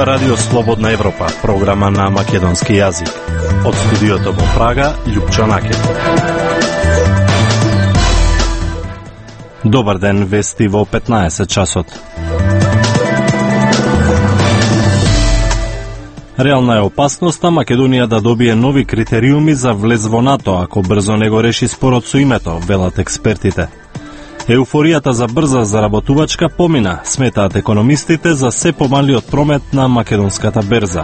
Ова Радио Слободна Европа, програма на македонски јазик. Од студиото во Прага, Љупчо Накет. Добар ден, вести во 15 часот. Реална е опасноста Македонија да добие нови критериуми за влез во НАТО, ако брзо не го реши спорот со името, велат експертите. Еуфоријата за брза заработувачка помина, сметаат економистите, за се помалиот промет на македонската берза.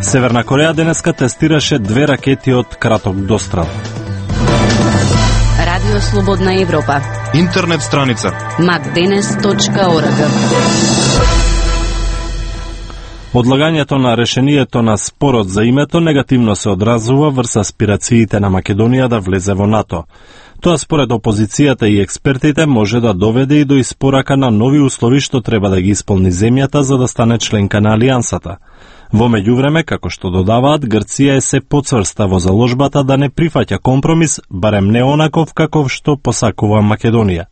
Северна Кореја денеска тестираше 2 ракети од краток дострел. Радио Слободна Европа. Интернет страница macdenes.org. Одлагањето на решението на спорот за името негативно се одразува врз аспирациите на Македонија да влезе во НАТО. Тоа според опозицијата и експертите може да доведе и до испорака на нови услови што треба да ги исполни земјата за да стане членка на алијансата. Во меѓувреме, како што додаваат, Грција е се поцврста во заложбата да не прифаќа компромис, барем не онаков каков што посакува Македонија.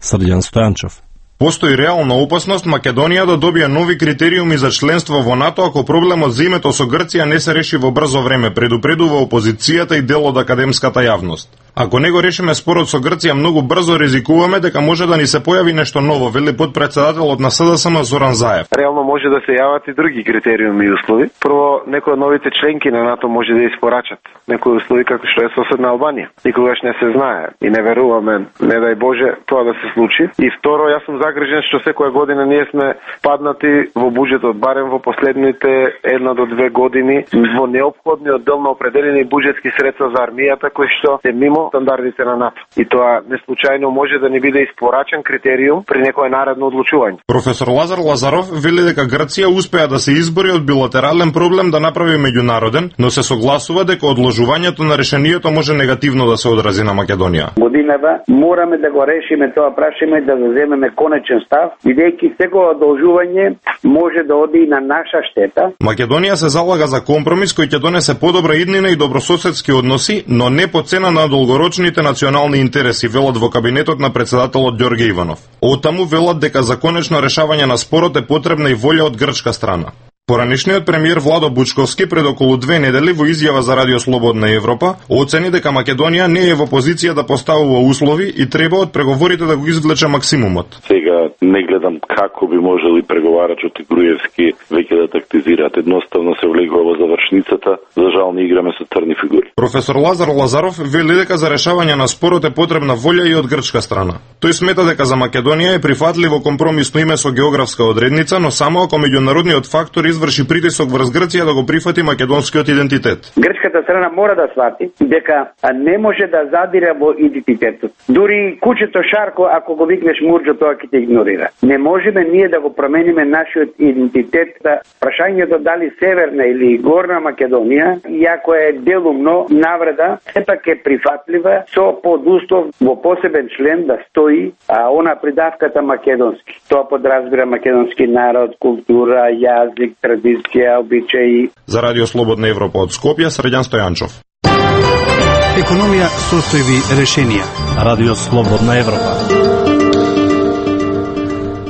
Срđan Стојанчов. Постои реална опасност Македонија да добие нови критериуми за членство во НАТО ако проблемот за името со Грција не се реши во брзо време, предупредува опозицијата и дел од академската јавност. Ако не го решиме спорот со Грција многу брзо, ризикуваме дека може да ни се појави нешто ново, вели потпредседателот на СДСМ Зоран Заев. Реално може да се јават и други критериуми и услови. Прво, некои од новите членки на НАТО може да испорачат некои услови како што е соседна Албанија. Никогаш не се знае и не веруваме, не дај Боже, тоа да се случи. И второ, јас сум загрижен што секоја година ние сме паднати во буџетот, барем во последните 1 до 2 години, во неопходниот дел на определени буџетски средства за армијата кои што се мимо стандардите на НАТО. И тоа не случајно може да ни биде испорачен критериум при некое наредно одлучување. Професор Лазар Лазаров вели дека Грција успеа да се избори од билатерален проблем да направи меѓународен, но се согласува дека одложувањето на решението може негативно да се одрази на Македонија. Годинава мораме да го решиме тоа прашање, да заземеме конечен став, бидејќи секој одолжување може да оди и на наша штета. Македонија се залага за компромис кој ќе донесе подобра иднина и добрососедски односи, но не по цена на долгорочните национални интереси, велат во кабинетот на председателот Ѓорѓе Иванов. Оттаму велат дека за конечно решавање на спорот е потребна и волја од грчка страна. Поранешниот премиер Владо Бучковски пред околу 2 недели во изјава за Радио Слободна Европа оцени дека Македонија не е во позиција да поставува услови и треба од преговорите да го извлече максимумот. Сега не гледам како би можели преговарачот и Груевски веќе да тактизираат. Едноставно се влегува во завршницата, за жал не играме со црни фигури. Професор Лазар Лазаров вели дека за решавање на спорот е потребна волја и од грчка страна. Тој смета дека за Македонија е прифатливо компромисно име со географска одредница, но само ако меѓународниот фактор изврши притисок врз Грција да го прифати македонскиот идентитет. Грчката страна мора да свати дека не може да задира во идентитетот. Дури кучето Шарко, ако го викнеш Мурџо, тоа ќе те игнорира. Не можеме ние да го промениме нашиот идентитет. Прашањето дали Северна или Горна Македонија, иако е делумно навреда, сепак е прифатлива со подуслов во посебен член да стои она придавката македонски. Тоа подразбира македонски народ, култура, јазик, традиција, обичаи. За Радио Слободна Европа од Скопје, Срđan Стојанчов. Економија, состојби, решенија. Радио Слободна Европа.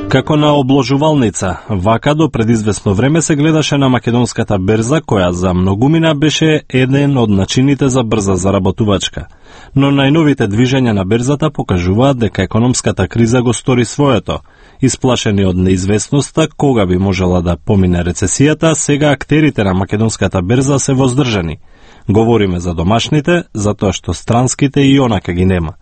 Како на обложувалница, вака до предизвестно време се гледаше на македонската берза, која за многумина беше еден од начините за брза заработувачка. Но најновите движења на берзата покажуваат дека економската криза го стори своето. Исплашени од неизвестноста кога би можела да помине рецесијата, сега актерите на македонската берза се воздржани. Говориме за домашните, затоа што странските и онака ги нема.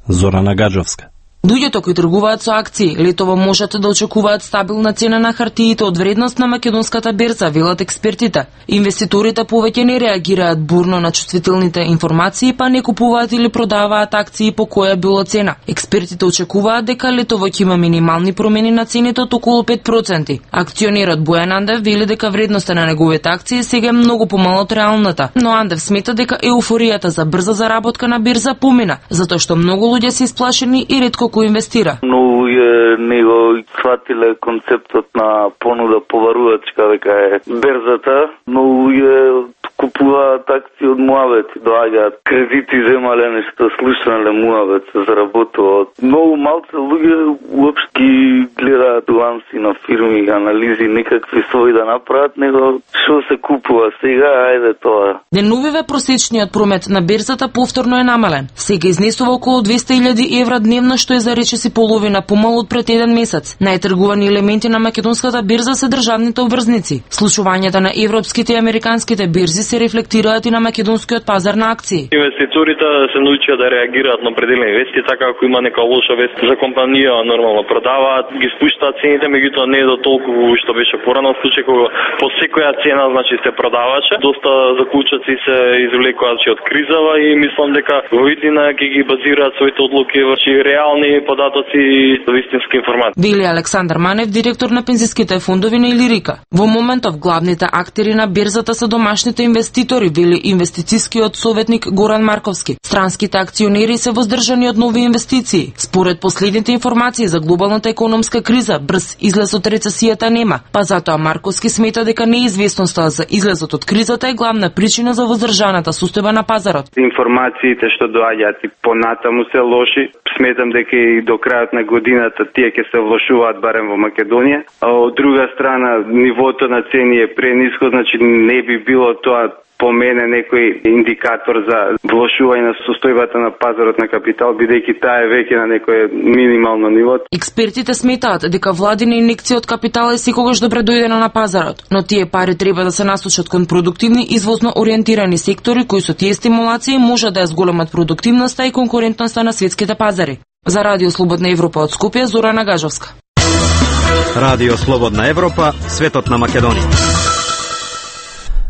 Зорана Гаджовска. Луѓето кои тргуваат со акции летово можат да очекуваат стабилна цена на хартиите од вредност на македонската берза, велат експертите. Инвеститорите повеќе не реагираат бурно на чувствителните информации, па не купуваат или продаваат акции по која било цена. Експертите очекуваат дека летово ќе има минимални промени на цените од околу 5%. Акционерот Бојан Андев вели дека вредноста на неговите акции сега е многу помала од реалната, но Андев смета дека еуфоријата за брза заработка на берза помина, затоа што многу луѓе се исплашени и ретко кој инвестира. Но не го сватиле концептот на понуда поварувачка дека е берзата, но купуваат акции од муабети, доаѓаат кредити, земале нешто, слушнале муабет, се заработуваат. Многу малце луѓе уопшти гледаат ланси на фирми, анализи, некакви своји да направат, него што се купува сега, ајде тоа. Деновиве просечниот промет на берзата повторно е намален. Сега изнесува околу 200.000 евра дневно, што е за речиси половина помалку од пред еден месец. Најтргувани елементи на македонската берза се државните обврзници. Слушувањата на европските и американските берзи се рефлектираат и на македонскиот пазар на акции. Инвеститорите се научија да реагираат на определени вести, така ако има нека лоша вест за компанија, нормално продаваат, ги спуштаат цените, меѓутоа не е до толку што беше порано случај кога по секоја цена значи се продаваше. Доста заклучоци се извлекоа од кризава и мислам дека во иднина ќе ги базираат своите одлуки врши реални податоци и вистински информации. Вели Александар Манев, директор на пензиските фондови на Илирика. Во моментов главните актери на берзата се домашните инвеститори, вели инвестицијскиот советник Горан Марковски. Странските акционери се воздржани од нови инвестиции. Според последните информации за глобалната економска криза, брз излез од рецесијата нема, па затоа Марковски смета дека неизвестноста за излезот од кризата е главна причина за воздржаната состојба на пазарот. Информациите што доаѓаат и понатаму се лоши. Сметам дека и до крајот на годината тие ќе се влошуваат барем во Македонија. А од друга страна, нивото на цени е прениско, значи не би било тоа по мене некој индикатор за влошување на состојбата на пазарот на капитал, бидејќи таа е веќе на некое минимално ниво. Експертите сметаат дека владина инекција од капитал е секогаш добре дојдена на пазарот, но тие пари треба да се насочат кон продуктивни извозно ориентирани сектори кои со тие стимулации може да ја зголемат продуктивноста и конкурентноста на светските пазари. За Радио Слободна Европа од Скопје, Зорана Гажовска. Радио Слободна Европа, светот на Македонија.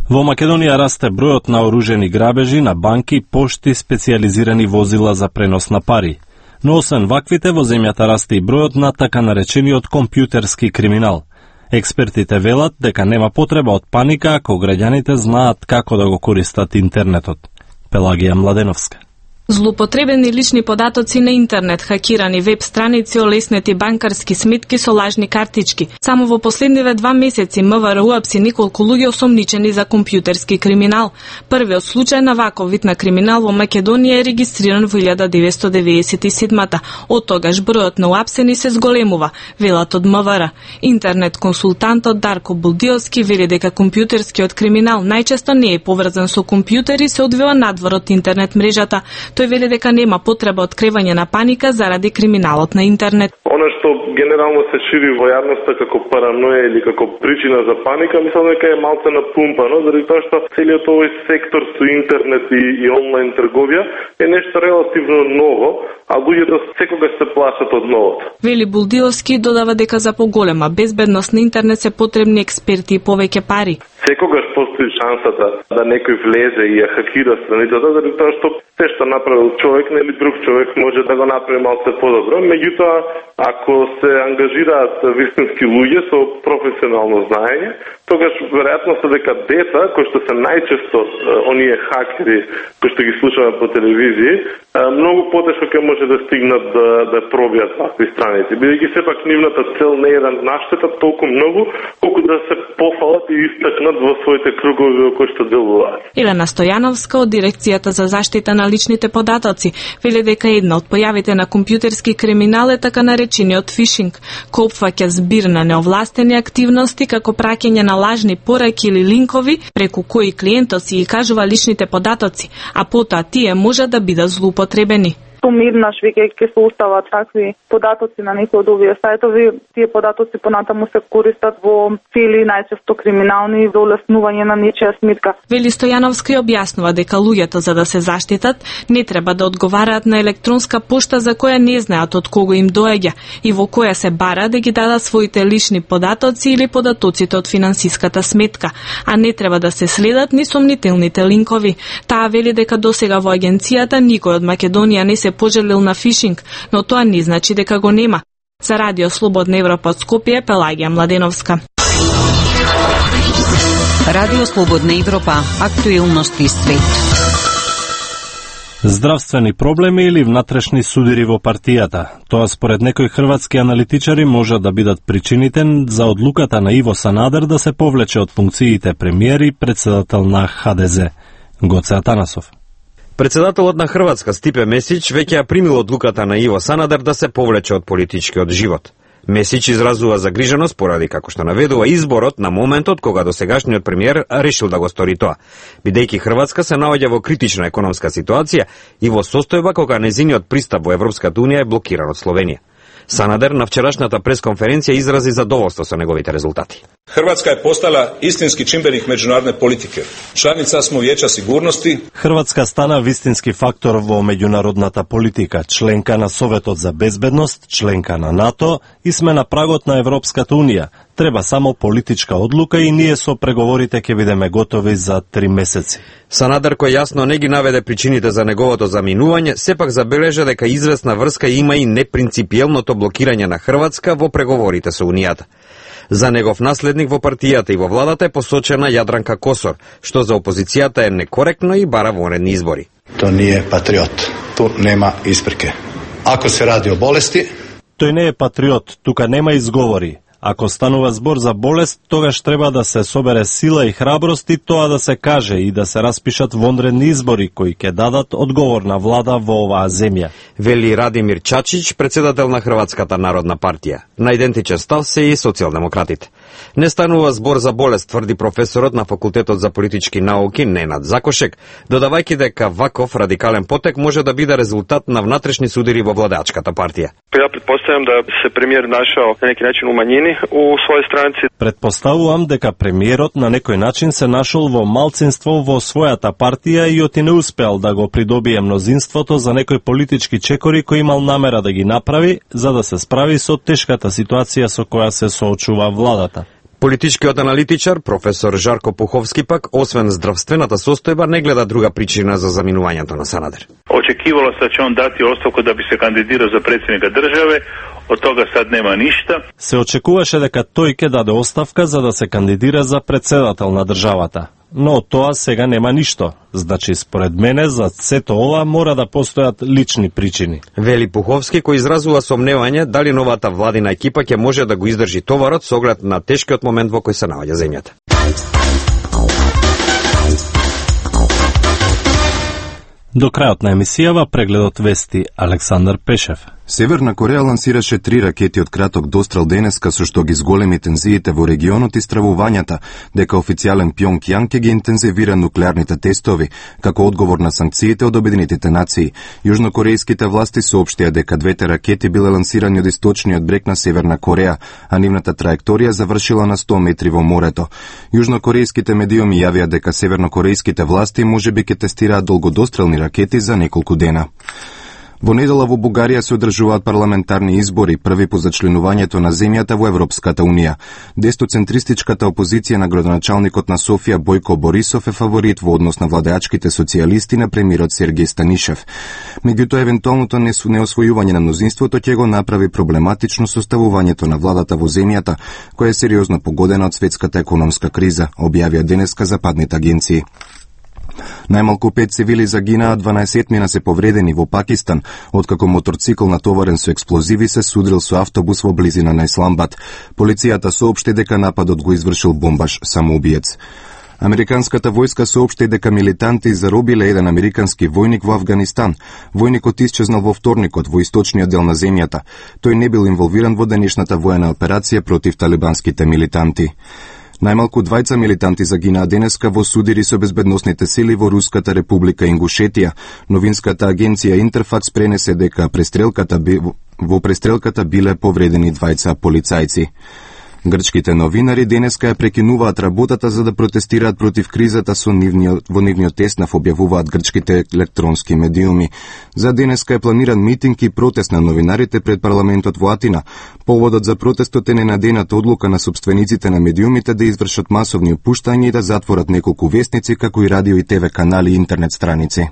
Во Македонија расте бројот на оружени грабежи на банки, пошти, специјализирани возила за пренос на пари. Но освен ваквите, во земјата расте и бројот на така наречениот компјутерски криминал. Експертите велат дека нема потреба од паника ако граѓаните знаат како да го користат интернетот. Пелагија Младеновска. Злоупотребени лични податоци на интернет, хакирани веб страници, олеснети банкарски сметки со лажни картички. Само во последниве 2 месеци МВР уапси неколку луѓе осомничени за компјутерски криминал. Првиот случај на ваков вид на криминал во Македонија е регистриран во 1997-та. Од тогаш бројот на уапсени се зголемува, велат од МВР. Интернет консултантот Дарко Булдиовски вели дека компјутерскиот криминал најчесто не е поврзан со компјутери, се одвива надвор од интернет мрежата. Тој вели дека нема потреба од кревање на паника заради криминалот на интернет. Она што генерално се шири во јавноста како параноја или како причина за паника, мислам дека е малце напумпано, заради тоа што целиот овој сектор со интернет и онлайн трговија е нешто релативно ново, а луѓето секогаш се плашат од новото. Вели Булдиовски додава дека за поголема безбедност на интернет се потребни експерти и повеќе пари. Секогаш постои шансата да некој влезе и ја хакира страницата, заради тоа што се што направил човек, нели друг човек може да го направи малце подобро. Меѓутоа, ако се ангажираат вистински луѓе со професионално знаење, тогаш веројатноста дека деца, кои што се најчесто оние хакери кои што ги слушаме по телевизија, многу потешко ќе може да стигнат да пробијат такви страници. Бидејќи сепак нивната цел не е да наштетат толку многу, колку да се пофалат и истакнат во своите кругови во кои што делуваат. Елена Стојановска од дирекцијата за заштита на личните податоци вели дека една од појавите на компјутерски криминал е така наречениот фишинг, кој опфаќа збир на неовластени активности како праќање на лажни пораки или линкови преку кои клиентот си ги кажува личните податоци, а потоа тие можат да бидат злоупотребени. Сумирнаш веќе ќе се устават такви податоци на некои од овие сајтови. Тие податоци понатаму се користат во цели најчесто криминални за улеснување на нечија сметка. Вели Стојановска и објаснува дека луѓето за да се заштитат не треба да одговараат на електронска пошта за која не знаат од кого им доаѓа и во која се бара да ги дадат своите лични податоци или податоците од финансиската сметка, а не треба да се следат ни сомнителните линкови. Таа вели дека досега во агенцијата никој од Македонија не се пожелил на фишинг, но тоа не значи дека го нема. За Радио Слободна Европа од Скопје, Пелагија Младеновска. Радио Слободна Европа, актуелности свет. Здравствени проблеми или внатрешни судири во партијата. Тоа според некои хрватски аналитичари може да бидат причините за одлуката на Иво Санадер да се повлече од функциите премиер и председател на ХДЗ. Гоце Атанасов. Председателот на Хрватска Стипе Месич веќе ја примил одлуката на Иво Санадер да се повлече од политичкиот живот. Месич изразува загриженост поради, како што наведува, изборот на моментот кога досегашниот премиер решил да го стори тоа. Бидејќи Хрватска се наоѓа во критична економска ситуација и во состојба кога нејзиниот пристап во Европската унија е блокиран од Словенија. Санадер на вчерашната пресконференција изрази задоволство со неговите резултати. Хрватска е постала истински чимбеник меѓународне политике. Чланица смо Вијеча сигурности. Хрватска стана вистински фактор во меѓународната политика, членка на Советот за безбедност, членка на НАТО и сме на прагот на Европската унија. Треба само политичка одлука и ние со преговорите ќе бидеме готови за 3 месеци. Санадер, кој јасно не ги наведе причините за неговото заминување, сепак забележа дека известна врска има и непринципиелното блокирање на Хрватска во преговорите со Унијата. За негов наследник во партијата и во владата е посочена Јадранка Косор, што за опозицијата е некоректно и бара вонредни избори. Тоа не е патриот. Ту нема испреке. Ако се ради о болести, тој не е патриот, тука нема изговори. Ако станува збор за болест, тогаш треба да се собере сила и храброст и тоа да се каже и да се распишат вонредни избори кои ќе дадат одговор на влада во оваа земја. Вели Радимир Чачич, председател на Хрватската народна партија. На идентичен став се и социјалдемократите. Не станува збор за болест, тврди професорот на Факултетот за политички науки Ненад Закошек, додавајќи дека ваков радикален потек може да биде резултат на внатрешни судири во владеачката партија. Ја претпоставам да се премиер нашao на неки начин умањени у своји странци. Предпоставувам дека премиерот на некој начин се нашол во малцинство во својата партија и оти не успеал да го придобие мнозинството за некој политички чекори кој имал намера да ги направи за да се справи со тешката ситуација со која се соочува владата. Политичкиот аналитичар, професор Жарко Пуховски пак, освен здравствената состојба, не гледа друга причина за заминувањето на Санадер. Очекивало се да ќе он дати оставку да би се кандидирал за претседника државе, од тога сад нема ништа. Се очекуваше дека тој ќе даде оставка за да се кандидира за председател на државата. Но од тоа сега нема ништо. Значи, според мене, за сето ова мора да постојат лични причини. Вели Пуховски, кој изразува сомневање дали новата владина екипа ќе може да го издржи товарот со оглед на тешкиот момент во кој се наоѓа земјата. До крајот на емисијава прегледот вести Александар Пешев. Северна Кореја лансираше 3 ракети од краток дострел денеска со што ги зголеми тензиите во регионот и стравувањата дека официјален Пјонгјанг ќе ги интензивира нуклеарните тестови како одговор на санкциите од Обединетите нации. Јужнокорејските власти соопштија дека двете ракети биле лансирани од источниот брег на Северна Кореја, а нивната траекторија завршила на 100 метри во морето. Јужнокорејските медиуми јавија дека севернокорејските власти можеби ќе тестираат долгодострелни ракети за неколку дена. Во недела во Бугарија се одржуваат парламентарни избори, први по зачленувањето на земјата во Европската унија. Дестоцентристичката опозиција на градоначалникот на Софија Бојко Борисов е фаворит во однос на владеачките социјалисти на премиерот Сергеј Станишев. Меѓутоа, евентуалното неосвојување на мнозинството ќе го направи проблематично составувањето на владата во земјата, која е сериозно погодена од светската економска криза, објавија денеска западните агенции. Најмалку 5 цивили загинаа, 12 мина се повредени во Пакистан, откако моторцикл натоварен со експлозиви се судрил со автобус во близина на Исламбад. Полицијата соопшти дека нападот го извршил бомбаш самоубиец. Американската војска соопшти дека милитанти заробиле еден американски војник во Авганистан. Војникот исчезнал во вторникот во источниот дел на земјата. Тој не бил инволвиран во денешната воена операција против талибанските милитанти. Најмалку 2 милитанти загинаа денеска во судири со безбедносните сили во Руската република Ингушетија. Новинската агенција Интерфакс пренесе дека во престрелката биле повредени 2 полицајци. Грчките новинари денеска ја прекинуваат работата за да протестираат против кризата во нивниот теснав, објавуваат грчките електронски медиуми. За денеска е планиран митинг и протест на новинарите пред парламентот во Атина. Поводот за протестот е ненадејната одлука на сопствениците на медиумите да извршат масовни опуштања и да затворат неколку вестници, како и радио и ТВ канали и интернет страници.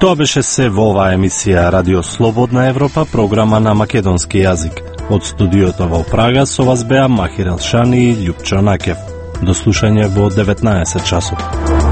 Тоа беше се во оваа емисија Радио Слободна Европа, програма на македонски јазик. Од студиото во Прага со вас беа Махир Елшани и Љупчо Накев. До слушање во 19 часот.